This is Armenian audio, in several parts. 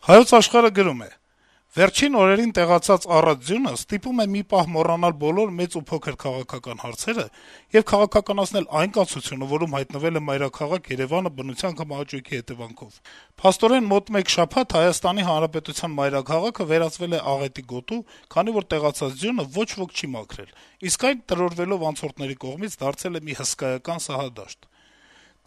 Հայոց Աշխարհը գրում է. - «Վերջին օրերին տեղացած առատ ձյունը ստիպում է մի պահ մոռանալ բոլոր մեծ ու փոքր քաղաքական հարցերը եւ քաղաքականացնել այն կացությունը, որում հայտնվել է մայրաքաղաք Երեւանը բնության կամ ահաճույքի հետեւանքով: Փաստորեն, մոտ մեկ շաբաթ Հայաստանի Հանրապետության մայրաքաղաքը վերածվել է աղետի գոտու, քանի որ տեղացած ձյունը ոչ ոք չի մաքրել, իսկ այն, տրորվելով անցորդների կողմից, դարձել է մի հսկայական սահադաշտ: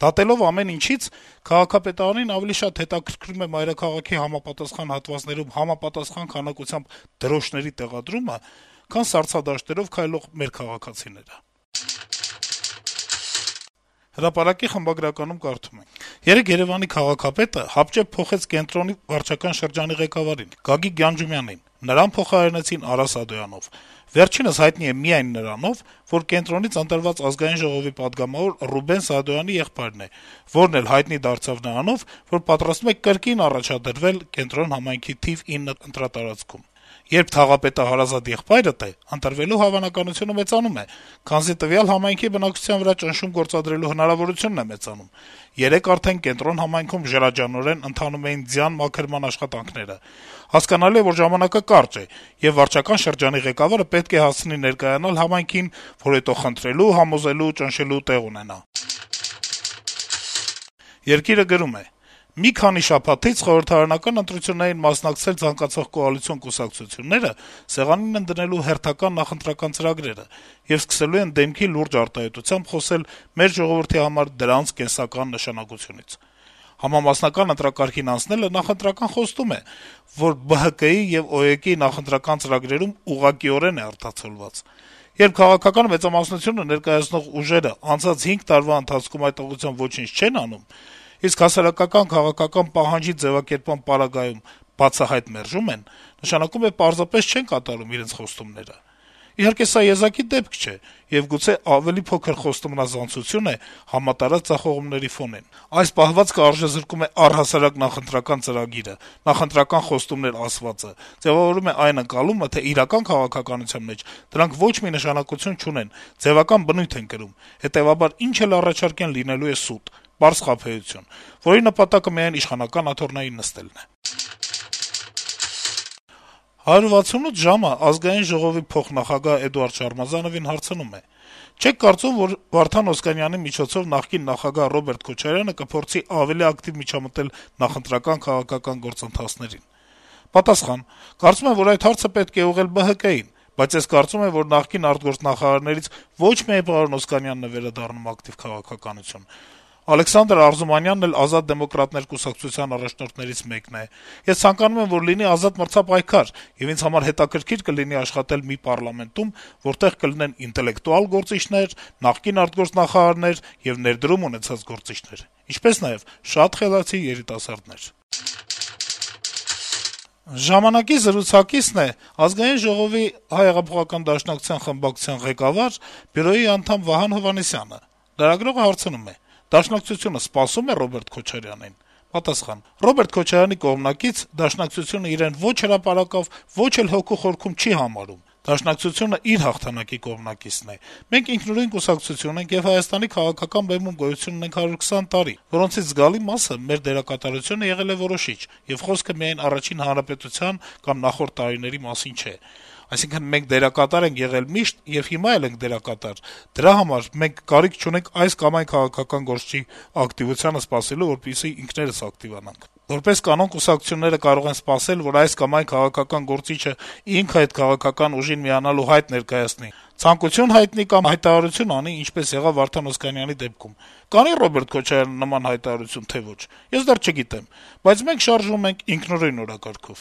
Դատելով ամեն ինչից, քաղաքապետարանին ավելի շատ հետաքրքրում է մայրաքաղաքի համապատասխան հատվածներում համապատասխան քանակությամբ դրոշների տեղադրումը, քան սառցադաշտերով քայլող մեր քաղաքացիները»: «Հրապարակ»-ի խմբագրականում կարդում ենք. - «Երեկ Երեւանի քաղաքապետը հապճեպ փոխեց կենտրոնի վարչական շրջանի ղեկավարին` Գագիկ Գյանջումյանին: Նրան փոխարինեցին Արա Սադոյանով: Վերջինս հայտնի է միայն նրանով, որ կենտրոնից ընտրված Ազգային ժողովի պատգամավոր Ռուբեն Սադոյանի եղբայրն է, որն էլ հայտնի դարձավ նրանով, որ պատրաստվում է կրկին առաջադրվել Կենտրոն համայնքի թիվ 9 ընտրատարածքում: Երբ թաղապետը հարազատ եղբայրդ է, ընտրվելու հավանականությունը մեծանում է, քանզի տվյալ համայնքի բնակչության վրա ճնշում գործադրելու հնարավորությունն է մեծանում: Երեկ արդեն Կենտրոն համայնքում ջրաջանորեն ընթանում էին ձյան մաքրման աշխատանքները: Հասկանալի է, որ ժամանակը կարճ է, եւ վարչական շրջանի ղեկավարը պետք է հասցնի ներկայանալ համայնքին, որ հետո խնդրելու, համոզելու, ճնշելու տեղ ունենա»: «Երկիր»-ը գրում է. - «Մի քանի շաբաթից խորհրդարանական ընտրություններին մասնակցել ցանկացող կոալիցիոն կուսակցությունները սեղանին են դնելու հերթական նախընտրական ծրագրերը եւ սկսելու են դեմքի լուրջ արտահայտությամբ խոսել մեր ժողովրդի համար դրանց կենսական նշանակությունից: Համամասնական ընտրակարգին անցնելը նախընտրական խոստում է, որ ԲՀԿ-ի եւ ՕԵԿ-ի նախընտրական ծրագրերում ուղղակիորեն է արտացոլված: Երբ քաղաքական մեծամասնությունը ներկայացնող ուժերը անցած 5 տարվա ընթացքում այդ ուղղությամբ ոչինչ չեն անում, իսկ հասարակական քաղաքական պահանջի ձեւակերպման պարագայում բացահայտ մերժում են, նշանակում է պարզապես չեն կատարում իրենց խոստումները: Իհարկե, սա եզակի դեպք չէ, եւ գուցե ավելի փոքր խոստումնազանցություն է համատարած ձախողումների ֆոնին: Այս պահվածքը արժեզրկում է առհասարակ նախընտրական ծրագիրը, նախընտրական խոստումներ ասվածը, ձեւավորում է այն ընկալումը, թե իրական քաղաքականության մեջ դրանք ոչ մի նշանակություն չունեն, ձեւական բնույթ են կրում, հետեւաբար ինչ էլ առաջարկեն լինելու է սուտ, պարզ խաբեություն, որի նպատակը միայն իշխանական աթոռներին նստելն է»: «168 ժամ»-ը Ազգային ժողովի փոխնախագահ Էդուարդ Շարմազանովին հարցնում է. - «Չե՞ք կարծում, որ Վարդան Օսկանյանի միջոցով նախկին նախագահ Ռոբերտ Քոչարյանը կփորձի ավելի ակտիվ միջամտել նախընտրական քաղաքական գործընթացներին»: Պատասխան. - «Կարծում եմ, որ այդ հարցը պետք է ուղղել ԲՀԿ-ին, բայց ես կարծում եմ, որ նախկին արտգործնախարարներից ոչ միայն պարոն Օսկանյանն է վերադառնում ակտիվ քաղաքականություն: Ալեքսանդր Արզումանյանն էլ Ազատ դեմոկրատներ կուսակցության առաջնորդներից մեկն է: Ես ցանկանում եմ, որ լինի ազատ մրցապայքար, եւ ինձ համար հետաքրքիր կլինի աշխատել մի պառլամենտում, որտեղ կլինեն ինտելեկտուալ գործիչներ, նախկին արտգործնախարարներ եւ ներդրում ունեցած գործիչներ, ինչպես նաեւ շատ խելացի երիտասարդներ»: «Ժամանակ»-ի զրուցակիցն է Ազգային ժողովի ՀՀԿ խմբակցության ղեկավար, բյուրոյի անդամ Վահան Հովհաննիսյանը: Լրագրողը հարցնում է. - «Դաշնակցությունը սպասո՞ւմ է Ռոբերտ Քոչարյանին»: Պատասխան. - «Ռոբերտ Քոչարյանի կողմնակից Դաշնակցությունը իրեն ոչ հրապարակավ, ոչ էլ հոգու խորքում չի համարում: Դաշնակցությունը իր հաղթանակի կողմնակիցն է: Մենք ինքնուրույն կուսակցություն ենք եւ Հայաստանի քաղաքական բեմում գոյություն ունենք 120 տարի, որոնցից զգալի մասը մեր դերակատարությունը եղել է որոշիչ, եւ խոսքը միայն Առաջին հանրապետության կամ նախորդ տարիների մասին չէ: Այսինքն` մենք դերակատար ենք եղել միշտ եւ հիմա էլ ենք դերակատար, դրա համար մենք կարիք չունենք այս կամ այն քաղաքական գործչի ակտիվությանը սպասելու, որպեսզի ինքներս ակտիվանանք: Որպես կանոն, կուսակցությունները կարող են սպասել, որ այս կամ այն քաղաքական գործիչը ինքը այդ քաղաքական ուժին միանալու հայտ ներկայացնի, ցանկություն հայտնի կամ հայտարարություն անի, ինչպես եղավ Վարդան Օսկանյանի դեպքում: Կանի՞ Ռոբերտ Քոչարյանը նման հայտարարություն, թե ոչ, ես դեռ չգիտեմ, բայց մենք շարժվում ենք ինքնուրույն օրակարգով»: